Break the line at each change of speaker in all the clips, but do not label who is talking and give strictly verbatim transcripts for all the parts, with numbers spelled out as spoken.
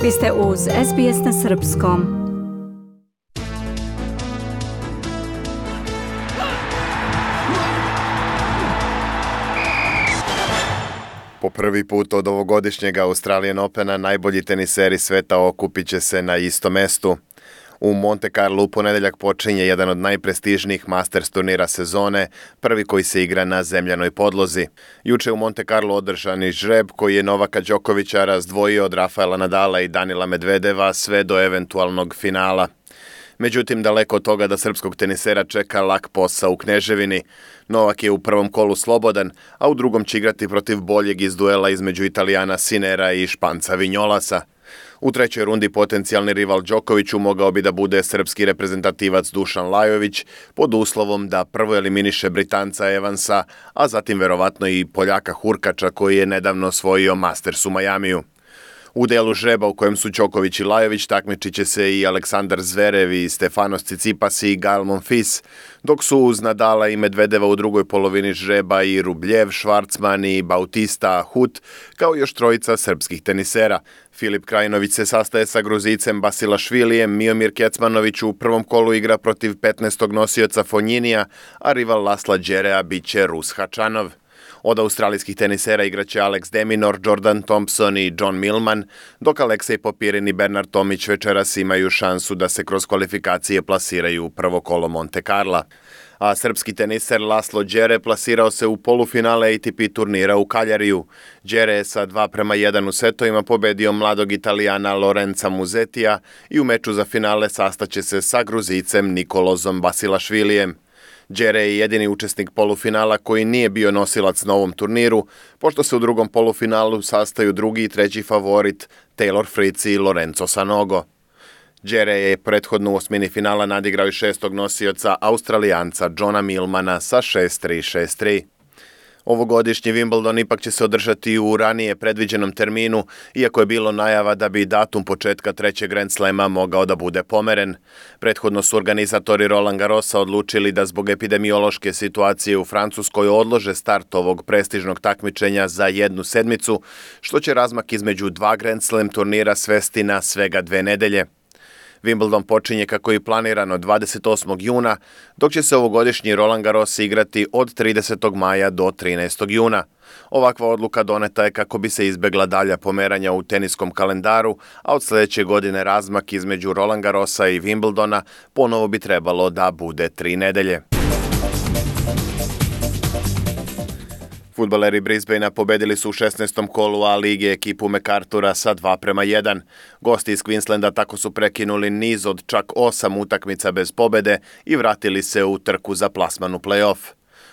Vi ste uz S B S na srpskom.
Po prvi put od ovogodišnjeg Australian Opena najbolji teniseri sveta okupit će se na istom mestu. U Monte Carlo u ponedeljak počinje jedan od najprestižnijih Masters turnira sezone, prvi koji se igra na zemljanoj podlozi. Juče u Monte Carlo održani žreb koji je Novaka Đokovića razdvojio od Rafaela Nadala i Danila Medvedeva sve do eventualnog finala. Međutim, daleko od toga da srpskog tenisera čeka lak posao u Kneževini. Novak je u prvom kolu slobodan, a u drugom će igrati protiv boljeg iz duela između Italijana Sinera i Španca Vinjolasa. U trećoj rundi potencijalni rival Đokoviću mogao bi da bude srpski reprezentativac Dušan Lajović, pod uslovom da prvo eliminiše Britanca Evansa, a zatim verovatno i Poljaka Hurkača koji je nedavno osvojio Masters u Majamiju. U delu žreba u kojem su Đoković i Lajović takmičit će se i Aleksandar Zverev i Stefanos Tsitsipas i Gael Monfils, dok su uz Nadala i Medvedeva u drugoj polovini žreba i Rubljev, Švarcman i Bautista Hut, kao još trojica srpskih tenisera. Filip Krajinović se sastaje sa Gruzicem Basilašvilijem, Miomir Kecmanović u prvom kolu igra protiv petnaestog nosioca Fonjinija, a rival Lasla Đerea biće Rus Hačanov. Od australijskih tenisera igraće Alex de Minaur, Jordan Thompson i John Millman, dok Aleksej Popirin i Bernard Tomić večeras imaju šansu da se kroz kvalifikacije plasiraju u prvo kolo Monte Carla. A srpski teniser Laslo Đere plasirao se u polufinale A T P turnira u Kaljariju. Đere je sa dva prema jedan u setovima pobedio mladog Italijana Lorenza Musetija i u meču za finale sastaće se sa Gruzicem Nikolozom Basilašvilijem. Đere je jedini učesnik polufinala koji nije bio nosilac na ovom turniru, pošto se u drugom polufinalu sastaju drugi i treći favorit Taylor Fritz i Lorenzo Sanogo. Đere je prethodno u osmini finala nadigrao i šestog nosioca Australijanca Johna Millmana sa šest tri šest tri. Ovogodišnji Wimbledon ipak će se održati u ranije predviđenom terminu, iako je bilo najava da bi datum početka trećeg Grand Slema mogao da bude pomeren. Prethodno su organizatori Roland Garrosa odlučili da zbog epidemiološke situacije u Francuskoj odlože start ovog prestižnog takmičenja za jednu sedmicu, što će razmak između dva Grand Slam turnira svesti na svega dve nedelje. Wimbledon počinje kako je planirano dvadeset osmog juna, dok će se ovogodišnji Roland Garros igrati od tridesetog maja do trinaestog juna. Ovakva odluka doneta je kako bi se izbegla dalja pomeranja u teniskom kalendaru, a od sljedeće godine razmak između Roland Garrosa i Wimbledona ponovo bi trebalo da bude tri nedelje. Fudbaleri Brisbanea pobedili su u šesnaestom kolu A lige ekipu MacArthura sa dva prema jedan. Gosti iz Queenslanda tako su prekinuli niz od čak osam utakmica bez pobede i vratili se u trku za plasman u play-off.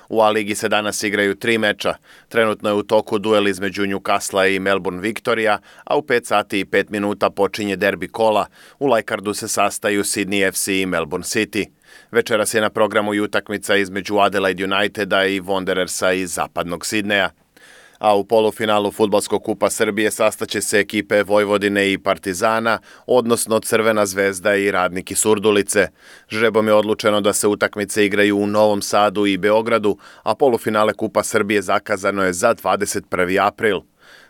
U A ligi se danas igraju tri meča. Trenutno je u toku duel između Newcastle i Melbourne Victoria, a u pet sati i pet minuta počinje derbi kola. U Leicardu se sastaju Sydney F C i Melbourne City. Večeras je na programu i utakmica između Adelaide Uniteda i Wanderersa iz zapadnog Sidneja. A u polufinalu Fudbalskog kupa Srbije sastaće se ekipe Vojvodine i Partizana, odnosno Crvena zvezda i Radnik iz Surdulice. Žrebom je odlučeno da se utakmice igraju u Novom Sadu i Beogradu, a polufinale Kupa Srbije zakazano je za dvadeset prvi april.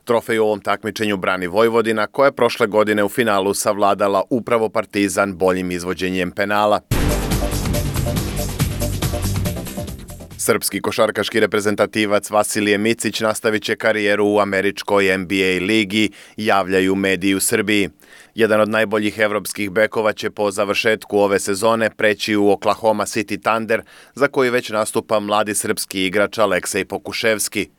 Trofej u ovom takmičenju brani Vojvodina, koja je prošle godine u finalu savladala upravo Partizan boljim izvođenjem penala. Srpski košarkaški reprezentativac Vasilije Micić nastavit će karijeru u američkoj N B A ligi, javljaju mediji u Srbiji. Jedan od najboljih evropskih bekova će po završetku ove sezone preći u Oklahoma City Thunder, za koji već nastupa mladi srpski igrač Aleksej Pokuševski.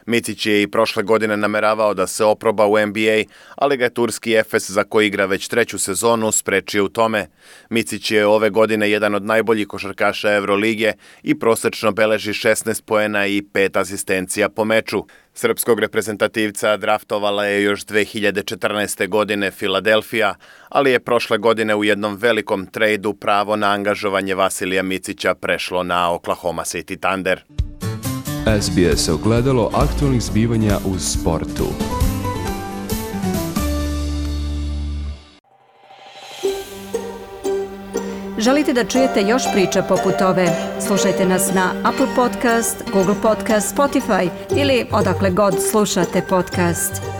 Micić je i prošle godine nameravao da se oproba u N B A, ali ga je turski Efes, za koji igra već treću sezonu, sprečio u tome. Micić je ove godine jedan od najboljih košarkaša Evrolige i prosečno beleži šesnaest poena i pet asistencija po meču. Srpskog reprezentativca draftovala je još dve hiljade četrnaeste. godine Filadelfija, ali je prošle godine u jednom velikom trejdu pravo na angažovanje Vasilija Micića prešlo na Oklahoma City Thunder.
S B S ogledalo aktualnih zbivanja u sportu.
Želite da čujete još priča poput ove? Slušajte nas na Apple Podcast, Google Podcast, Spotify ili odakle god slušate podcast.